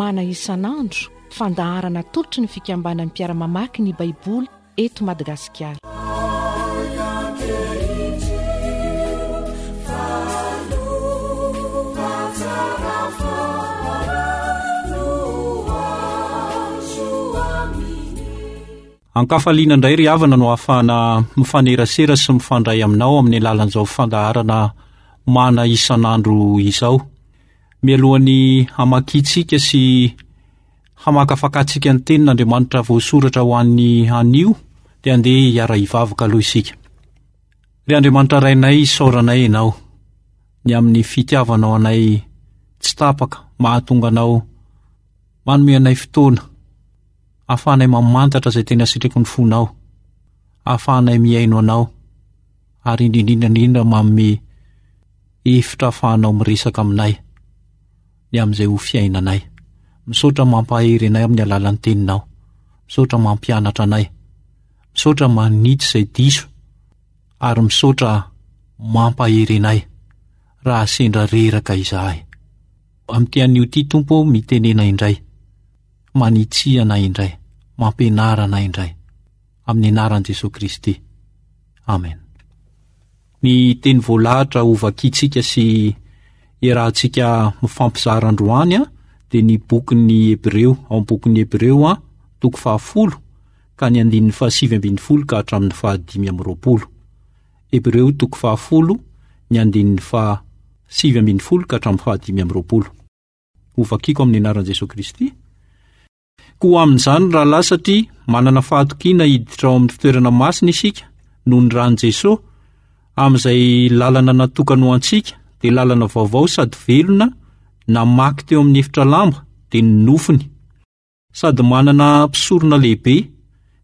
Mana isan'andro, fandaharana atolotry ny fikambanan'ny mpiara-mamaky ny Baiboly eto Madagasikara. Ankafaliana indray ry havana no ahafahana mifanerasera sy mifandray aminao amin'ny alalan'izao fandaharana mana isan'andro izao. Mialohan'ny hamakiantsika sy hamakafakantsika ny tenin'Andriamanitra voasoratra ho an'ny anio dia andeha hiara-hivavaka aloha isika. Ry Andriamanitra Rainay, isaoranay Ianao ny amin'ny fitiavanao anay tsy tapaka, mahatonga Anao manome anay fotoana ahafahanay mamantatra izay tena sitraky ny fonao, ahafahanay mihaino Anao ary indrindra indrindra manome hevitra ahafahanao miresaka aminay ny amin'izay ho fiainanay. Misaotra mampahery anay amin'ny alalan'ny teninao. Misaotra mampianatra anay. Misaotra manitsy izay diso ary misaotra mampahery anay raha sendra reraka izahay. Amin'ity anio ity Tompo ô mitenena indray, manitsia anay indray, mampianara anay indray. Amin'ny anaran'i Jesoa Kristy. Amen. Ny teny voalahatra hovakintsika sy iarahantsika mifampizara androany dia ny bokin'ny Hebreo, ao amin'ny bokin'ny Hebreo toko fahafolo ka ny andininy fahasivy ambin'ny folo ka hatramin'ny fahadimy amby roapolo. Hebreo toko fahafolo ny andininy fahasivy ambin'ny folo ka hatramin'ny fahadimy amby roapolo. Hovakiko amin'ny anaran'i Jesoa Kristy. Koa amin'izany, rahalahy, satria manana fahatokiana hiditra ao amin'ny fitoerana masina isika noho ny ran'i Jesoa, amin'izay lalana natokany ho antsika, dia lalana vaovao sady velona namaky teo amin'ny efitra lamba, dia ny nofony. Sady manana mpisorona lehibe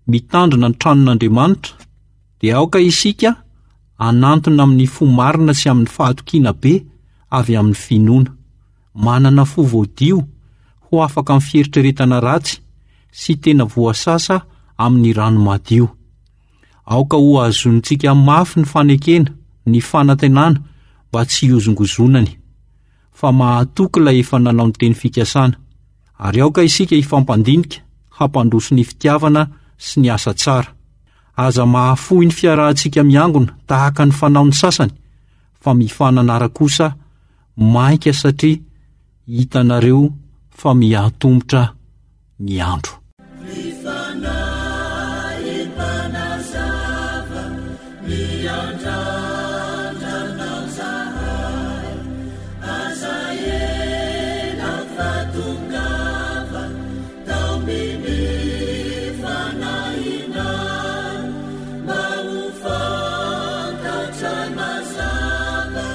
mitandrina ny tranon'Andriamanitra, dia aoka isika hanantona amin'ny fo marina sy amin'ny fahatokiana be avy amin'ny finoana. Manana fo voadio ho afaka amin'ny fieritreretana ratsy sy tena voasasa amin'ny rano madio. Aoka hohazonintsika mafy ny fanekena, ny fanantenana mba tsy hihozongozonany, fa mahatoky ilay efa nanao ny teny fikasana. Ary aoka isika hifampandinika hampandroso ny fitiavana sy ny asa tsara. Aza mahafoy ny fiarahantsika miangona tahaka ny fanaon'ny sasany, fa mifananara kosa mainka satria hitanareo fa miha-antomotra ny andro. Ny Fanahy mpanazava miandrandra anao zahay, aza ela fa tongava taomy ny fanahinay mba ho fantatray mazava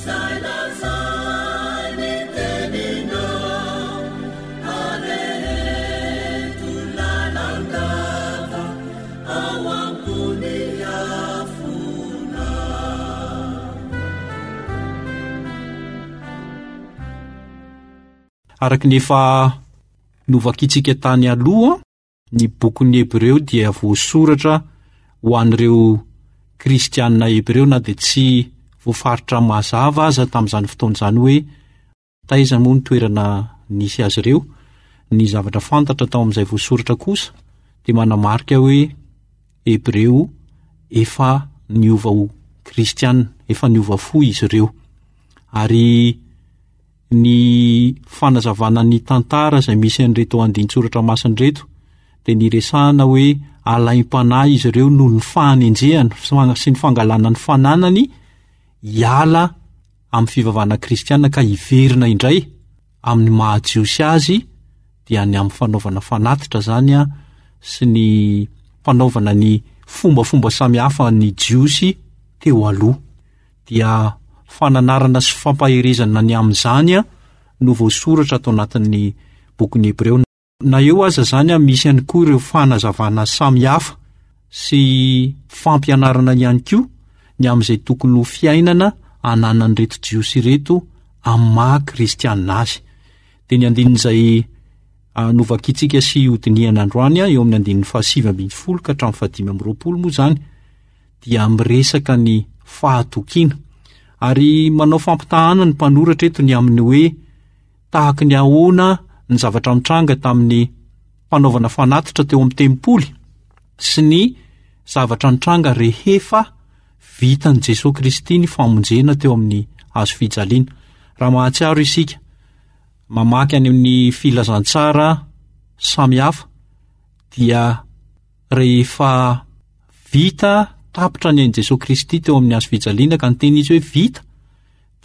Zay lazainy teninao areheto lalandava ao ambony afona. Araka ny efa novakintsika tany aloha, Ny bokin'ny Hebreo dia voasoratra ho an'ireo Kristianina Hebreo na dia tsy voafaritra mazava aza tamin'izany fotoana izany hoe taiza moa ny toerana nisy azy ireo. Ny zavatra fantatra tao amin'izay voasoratra kosa dia manamarika hoe Hebreo efa niova ho Kristianina, efa niova fo izy ireo. Ary Ny fanazavana ny tantara izay misy an'ireto andinin-tsoratra masina ireto dia niresahana hoe alaim-panahy izy ireo noho ny fahanenjehana sy ny fangalana ny fananany hiala amin'ny fivavahana kristiana ka hiverina indray amin'ny maha jiosy azy dia ny amin'ny fanaovana fanatitra izany sy ny fanaovana ny fombafomba samihafa ny jiosy teo aloha. dia fananarana sy fampaherezana ny amin'izany no voasoratra ato anatin'ny bokin'ny Hebreo. Na eo aza izany, misy ihany koa ireo fanazavana samihafa sy fampianarana ihany koa ny amin'izay tokony ho fiainana ananan'ireto Jiosy ireto amin'ny maha kristianina azy. Dia ny andinin'izay novakintsika sy hodinihana androany eo amin'ny andininy fahasivy ambin'ny folo ka hatramin'ny fahadimy amby roapolo moa izany dia miresaka ny fahatokiana. Ary manao fampitahana ny mpanoratra eto ny amin'ny hoe tahaka ny ahoana ny zavatra mitranga tamin'ny fanaovana fanatitra teo amin'ny tempoly sy ny zavatra nitranga rehefa vitan'i Jesoa Kristy ny famonjena teo amin'ny hazo fijaliana. Raha mahatsiaro isika, mamaky any amin'ny filazantsara samihafa dia rehefa vita tapitra ny ain'i Jesoa Kristy teo amin'ny hazo fijaliana ka niteny izy hoe vita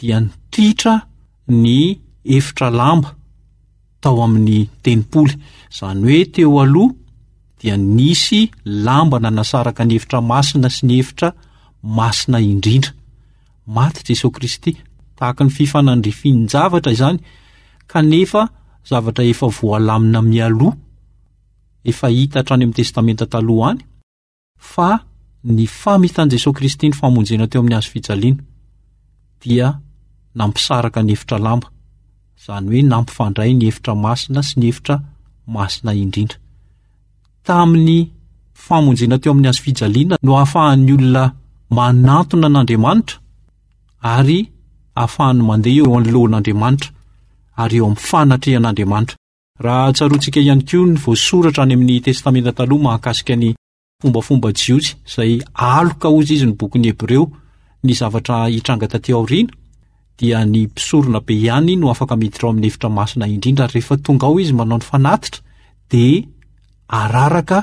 dia nititra ny efitra lamba tao amin'ny tempoly. Izany hoe teo aloha dia nisy lamba nanasaraka ny efitra masina sy ny efitra masina indrindra. Maty Jesoa Kristy, tahaka ny fifanandrifian-javatra izany, kanefa zavatra efa voalamina mialoha, efa hita hatrany amin'ny Testamenta Taloha any, fa ny famitan'i Jesoa Kristy ny famonjena teo amin'ny hazo fijaliana dia nampisaraka ny efitra lamba, izany hoe nampifandray ny efitra masina sy ny efitra masina indrindra. Tamin'ny famonjena teo amin'ny hazo fijaliana no ahafahan'ny olona manantona an'Andriamanitra ary ahafahany mandeha eo anoloan'Andriamanitra ary eo amin'ny fanatrehan'Andriamanitra. Raha tsaroantsika ihany koa ny voasoratra any amin'ny Testamenta Taloha mahakasika ny fombafomba jiosy izay aloka hozy izy ny bokin'ny Hebreo ny zavatra hitranga taty aoriana dia ny mpisorona be ihany no afaka miditra ao amin'ny efitra masina indrindra ary rehefa tonga ao izy manao ny fanatitra dia araraka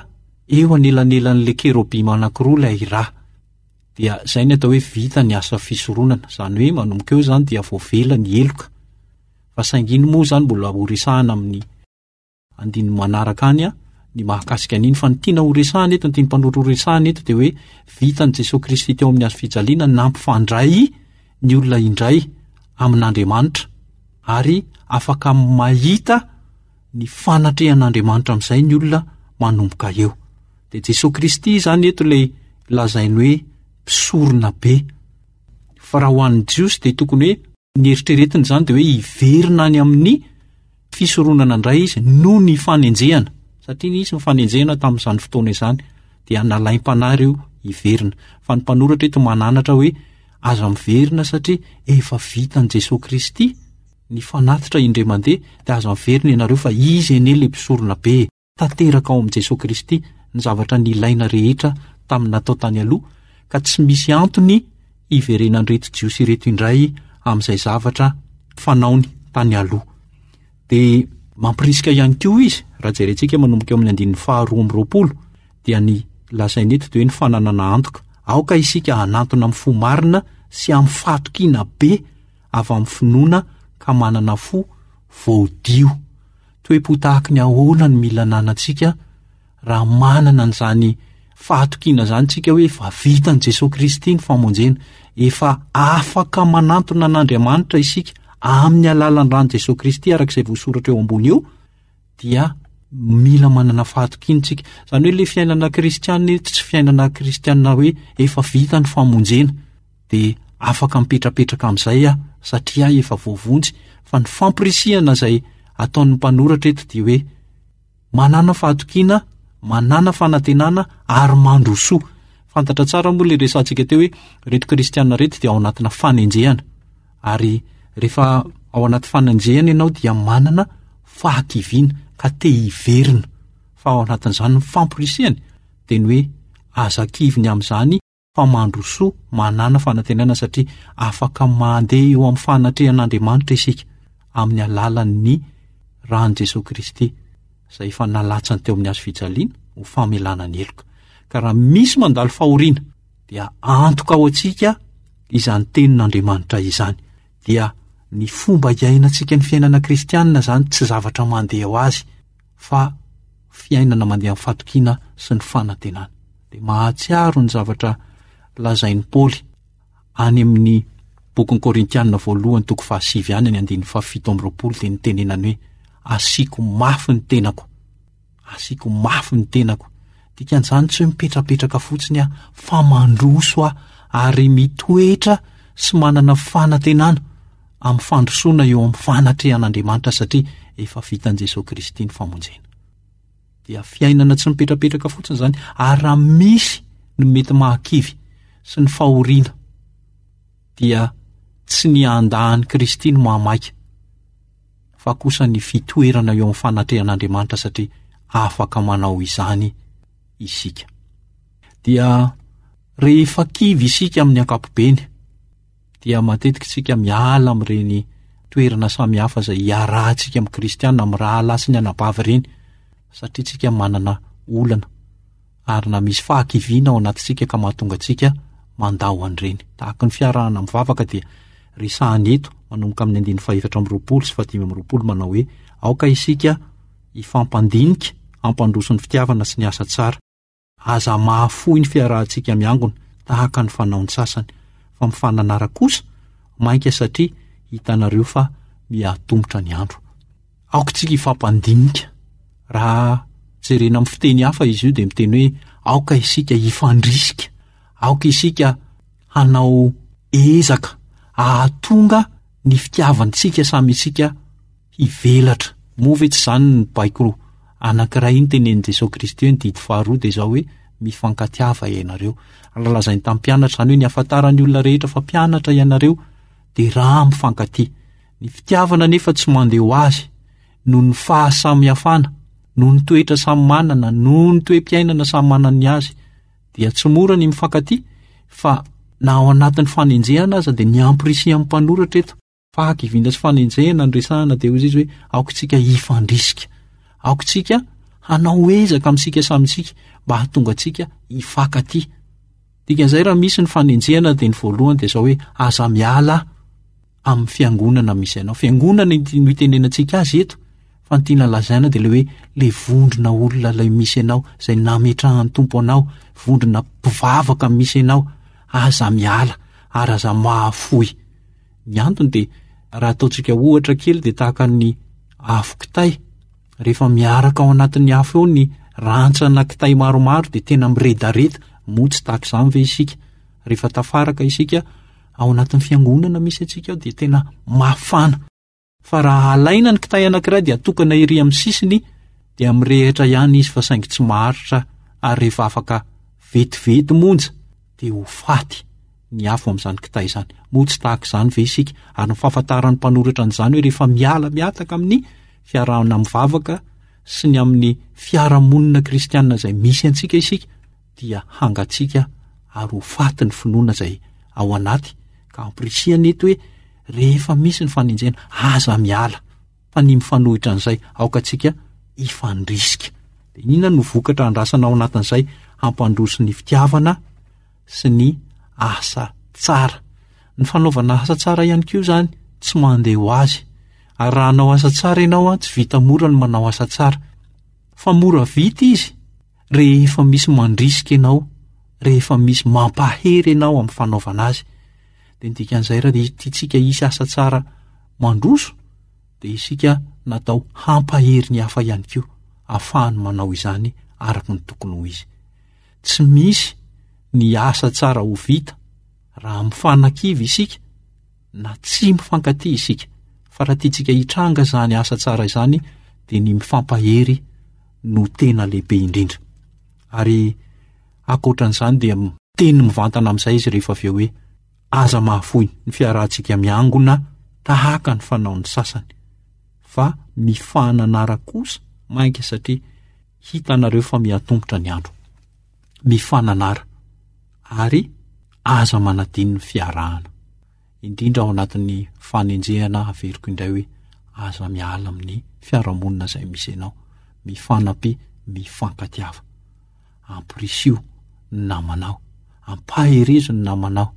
eo anelanelan'ilay kerobima anankiroa ilay ra. Dia izay ny atao hoe vita ny asa fisoronana, izany hoe manomboka eo izany dia voavela ny heloka. Fa saingy iny moa izany mbola ho resahana amin'ny andininy manaraka any ny mahakasika an'iny fa ny tiana ho resahana eto, ny tian'ny mpanoratra ho resahana eto dia hoe vitan'i Jesoa Kristy teo amin'ny hazo fijaliana nampifandray ny olona indray amin'Andriamanitra ary afaka mahita ny fanatrehan'Andriamanitra amin'izay ny olona manomboka eo. Dia Jesoa Kristy izany eto ilay lazainy hoe mpisorona be. Fa raha ho an'ny Jiosy dia tokony hoe Ny eritreretiny izany dia hoe hiverina any amin'ny fisoronana indray izy noho ny fanenjehana, satria nisy ny fanenjehana tamin'izany fotoana izany, dia nalaim-panahy ireo hiverina. Fa ny mpanoratra eto mananatra hoe aza miverina satria efa vitan'i Jesoa Kristy ny fanatitra indray mandeha, dia aza miverina ianareo fa Izy anie ilay mpisorona be e. Tanteraka ao amin'i Jesoa Kristy ny zavatra nilaina rehetra tamin'ny natao tany aloha, ka tsy misy antony hiverenan'ireto Jiosy ireto indray amin'izay zavatra fanaony tany aloha. Dia mampirisika ihany koa izy, raha jerentsika manomboka eo amin'ny andininy faharoa amby 20, dia ny lazainy eto dia hoe ny fananana antoka. Aoka isika hanantona amin'ny fo marina sy amin'ny fahatokiana be avy amin'ny finoana ka manana fo voadio. Toe-po tahaky ny ahoana no mila ananantsika raha manana an'izany fahatokiana izany tsika hoe efa vitan'i Jesoa Kristy ny famonjena, efa afaka manantona an'Andriamanitra isika amin'ny alalan'ny ran'i Jesoa Kristy araka izay voasoratra eo ambony eo, dia mila manana fahatokiana tsika. Izany hoe ilay fiainana kristiana eto tsy fiainana kristiana hoe efa vita ny famonjena. dia afaka mipetrapetraka amin'izay aho satria aho efa voavonjy fa ny fampirisihana izay ataon'ny mpanoratra eto dia hoe manana fahatokiana, manana fanantenana ary mandrosoa. Fantatra tsara moa ilay resahantsika teo hoe ireto kristiana ireto dia ao anatina fanenjehana ary rehefa ao anaty fanenjehana ianao dia manana fahakiviana ka te hiverina fa ao anatin'izany ny famporisihany dia ny hoe aza kivy ny amin'izany fa mandrosoa manàna fanantenana satria afaka mandeha eo amin'ny fanatrehan'Andriamanitra isika amin'ny alalan'ny ran'i Jesoa Kristy izay efa nalatsany teo amin'ny hazo fijaliana ho famelana ny heloka. Ka raha misy mandalo fahoriana dia antoka ho antsika izany tenin'Andriamanitra izany. Dia ny fomba iainantsika ny fiainana kristianina izany tsy zavatra mandeha ho azy fa fiainana mandeha amin'ny fatokiana sy ny fanantenana. Dia mahatsiaro ny zavatra lazain'i Paoly any amin'ny bokin'ny Korintianina voalohany toko fahasivy any ny andininy fahafito amby 20 dia nitenenany hoe asiako mafy ny tenako. Asiako mafy ny tenako. Dikan'izany tsy hoe mipetrapetraka fotsiny aho fa mandroso aho ary mitoetra sy manana fanantenana amin'ny fandrosoana eo amin'ny fanatrehan'Andriamanitra satria efa vitan'i Jesoa Kristy ny famonjena. Dia fiainana tsy mipetrapetraka fotsiny izany ary raha misy ny mety mahakivy sy ny fahoriana dia tsy ny handà an'i Kristy no mahamaika. fa kosa ny fitoerana eo amin'ny fanatrehan'Andriamanitra satria afaka manao izany isika. Dia rehefa kivy isika amin'ny ankapobeny dia matetika isika miala amin'ireny toerana samihafa izay iarahantsika amin'ny kristiana, amin'ny rahalahy sy ny anabavy ireny satria tsika manana olana ary na misy fahakiviana ao anatintsika ka mahatonga antsika mandao an'ireny. Tahaka ny fiarahana mivavaka dia resahana eto manomboka amin'ny andininy fahefatra amby roapolo sy fahadimy amby roapolo manao hoe aoka isika hifampandinika hampandroso ny fitiavana sy ny asa tsara. Aza mahafoy ny fiarahantsika miangona tahaka ny fanaon'ny sasany fa mifananara kosa mainka satria hitanareo fa mihatomotra ny andro. Aoka isika hifampandinika. Raha jerena amin'ny fiteny hafa izy io dia miteny hoe aoka isika hifandrisika, aoka isika hanao ezaka hahatonga ny fitiavantsika samy isika hivelatra. Moa ve tsy izany ny baiko anankiray iny tenenin'i Jesoa Kristy hoe ny didy faharoa dia izao hoe mifankatiava ianareo. Raha lazainy tamin'ny mpianatra izany hoe ny hahafantaran'ny olona rehetra fa mpianatra ianareo dia raha mifankatia. Ny fitiavana anefa tsy mandeha ho azy noho ny fahasamihafana, noho ny toetra samy manana, noho ny toe-piainana samy manana ny azy. Dia tsy mora ny mifankatia fa na ao anatin'ny fanenjehana aza dia ny ampirisihan'ny mpanoratra eto. Fahakiviana sy fanenjehana no resahana dia hoy izy hoe aoka isika hifandrisika, aoka isika hanao ezaka amintsika samy isika mba hahatonga antsika hifankatia. Dikan'izay raha misy ny fanenjehana dia ny voalohany dia izao hoe aza miala amin'ny fiangonana misy anao. Fiangonana no itenenantsika azy eto fa ny tiana lazaina dia ilay hoe le vondrona olona ilay misy anao izay nametrahan'ny Tompo anao, vondrona mpivavaka misy anao, aza miala ary aza mahafoy. Ny antony dia raha ataontsika ohatra kely dia tahaka ny afo kitay, rehefa miaraka ao anatin'ny afo eo ny rantsana kitay maromaro dia tena miredareda, moa tsy tahaka izany ve isika? Rehefa tafaraka isika ao anatin'ny fiangonana misy antsika ao dia tena mafana. Fa raha alaina ny kitay anankiray dia atokana ery amin'ny sisiny dia mirehitra ihany izy fa saingy tsy maharitra ary rehefa afaka vetivety monja dia ho faty ny afo amin'izany kitay izany. Moa tsy tahaka izany ve isika? Ary ny fahafantaran'ny mpanoratra an'izany hoe rehefa miala mihataka amin'ny fiarahana mivavaka sy ny amin'ny fiarahamonina kristianina izay misy antsika isika dia hangatsiaka ary ho faty ny finoana izay ao anaty ka ampirisihana eto hoe rehefa misy ny fanenjehana aza miala fa ny mifanohitra an'izay aoka antsika hifandrisika. Dia inona no vokatra andrasana ao anatin'izay hampandroso ny fitiavana sy ny asa tsara. Ny fanaovana asa tsara ihany koa izany tsy mandeha ho azy. Ary raha hanao asa tsara ianao tsy vita mora ny manao asa tsara. Fa mora vita izy rehefa misy mandrisika ianao, rehefa misy mampahery ianao amin'ny fanaovana azy. Dia ny dikan'izay raha tiantsika hisy asa tsara mandroso dia isika natao hampahery ny hafa ihany koa ahafahany manao izany araka ny tokony ho izy. Tsy misy ny asa tsara ho vita raha mifanakivy isika na tsy mifankatia isika fa raha tiantsika hitranga izany asa tsara izany dia ny mifampahery no tena lehibe indrindra. Ary ankoatran'izany dia miteny mivantana amin'izay izy rehefa avy eo hoe aza mahafoy ny fiarahantsika miangona tahaka ny fanaon'ny sasany fa mifananara kosa mainka satria hitanareo fa mihatombotra ny andro. Mifananara ary aza manadino ny fiarahana. Indrindra ao anatin'ny fanenjehana averiko indray hoe aza miala amin'ny fiarahamonina izay misy anao. Mifanampia, mifankatiava. Ampirisio ny namanao, ampaherezo ny namanao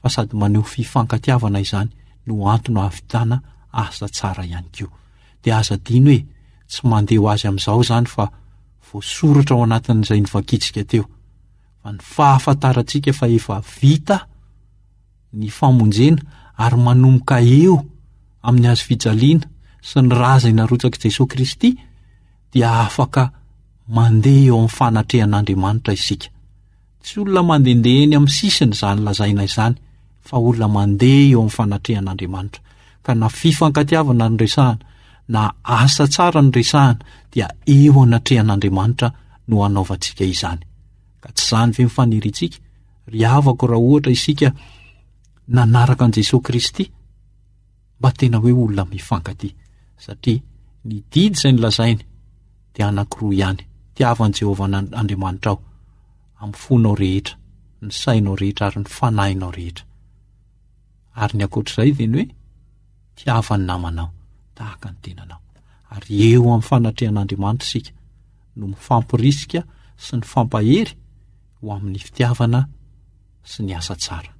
fa sady maneho fifankatiavana izany no antony ahavitana asa tsara ihany koa. Dia aza adino e, tsy mandeha ho azy amin'izao izany fa voasoratra ao anatin'izay novakintsika teo fa ny fahafantarantsika fa efa vita ny famonjena ary manomboka eo amin'ny hazo fijaliana sy ny ra izay narotsak'i Jesoa Kristy dia afaka mandeha eo amin'ny fanatrehan'Andriamanitra isika. Tsy olona mandehandeha eny amin'ny sisiny izany lazaina izany fa olona mandeha eo amin'ny fanatrehan'Andriamanitra. Ka na fifankatiavana no resahana na asa tsara no resahana dia eo anatrehan'Andriamanitra no hanaovantsika izany. Ka tsy izany ve ny faniriantsika? Ry havako raha ohatra isika nanaraka an'i Jesoa Kristy mba tena hoe olona mifankatia. Satria ny didy izay nolazainy dia anankiroa ihany, tiava an'i Jehovah Andriamanitrao amin'ny fonao rehetra, ny sainao rehetra ary ny fanahinao rehetra. Ary ny ankoatr'izay dia ny hoe tiava ny namanao tahaka ny tenanao. Ary eo amin'ny fanatrehan'Andriamanitra isika no mifampirisika sy mifampahery ho amin'ny fitiavana sy ny asa tsara.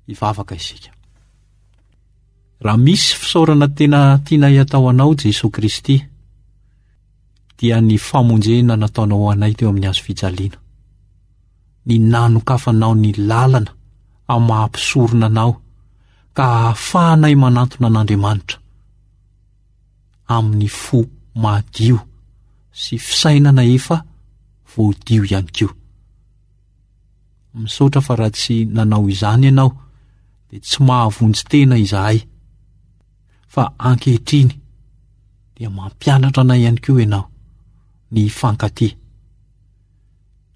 Hivavaka isika. Raha misy fisaorana tena tianay atao anao Jesoa Kristy dia ny famonjena nataonao ho anay teo amin'ny hazo fijaliana. Ny nanokafanao ny lalana amin'ny maha mpisorona anao ka ahafahanay manantona an'Andriamanitra amin'ny fo madio sy fisainana efa voadio ihany koa. Misaotra fa raha tsy nanao izany ianao dia tsy mahavonjy tena izahay fa ankehitriny dia mampianatra anay ihany koa ianao ny hifankatia.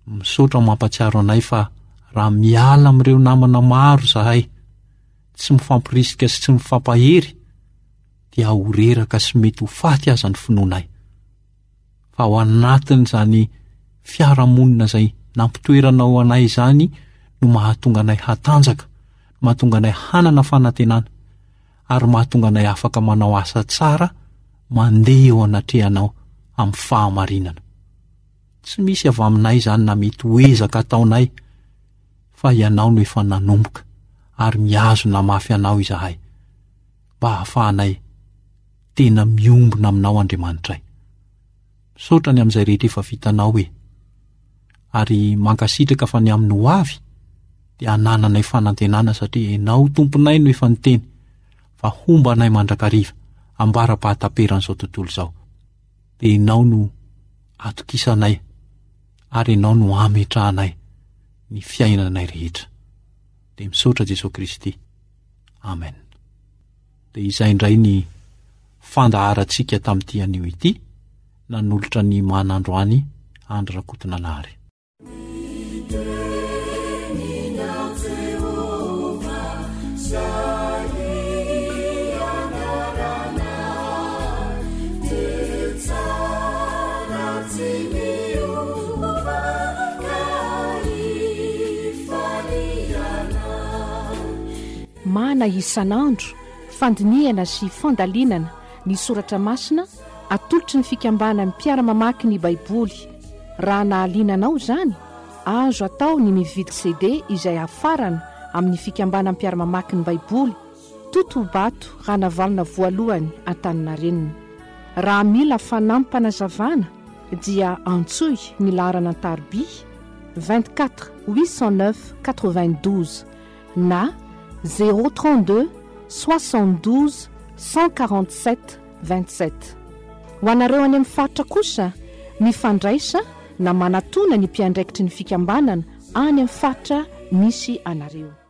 Misaotra mampatsiaro anay fa raha miala amin'ireo namana maro izahay tsy mifampirisika sy tsy mifampahery dia ho reraka sy mety ho faty aza ny finoanay. Fa ao anatin'izany fiarahamonina izay nampitoeranao anay izany no mahatonga anay hatanjaka, mahatonga anay hanana fanantenana ary mahatonga anay afaka manao asa tsara mandeha eo anatrehanao amin'ny fahamarinana. Tsy misy avy aminay izany na mety ho ezaka ataonay fa ianao no efa nanomboka ary mihazona mafy anao izahay mba hahafahanay tena miombona aminao Andriamanitray. Misaotra ny amin'izay rehetra efa vitanao e. Ary mankasitraka fa ny amin'ny ho avy dia anananay fanantenana satria ianao Tomponay no efa niteny fa homba anay mandrakariva ambara-pahataperan'izao tontolo izao. Dia ianao no atokisanay ary ianao no ametrahanay ny fiainanay rehetra. Dia misaotra Jesoa Kristy. Amen. Dia izay indray ny fandaharantsika tamin'ity anio ity, nanolotra ny mana androany Andry Rakotonanahary. Mana isan'andro, fandinihana sy fandalinana ny soratra masina atolotry ny fikambanan'ny mpiara-mamaky ny Baiboly. Raha nahaliana anao izany, azo atao ny mividy CD izay hafarana amin'ny fikambanan'ny mpiara-mamaky ny Baiboly, Totobato Ranavalona Voalohany Antaninarenina. Raha mila fanampim-panazavana dia antsoy ny laharana an-tariby 24 809 92 na 032 72 147 27. Ho anareo any amin'ny faritra kosa, mifandraisa na manatona ny mpiandraikitry ny fikambanana any amin'ny faritra misy anareo.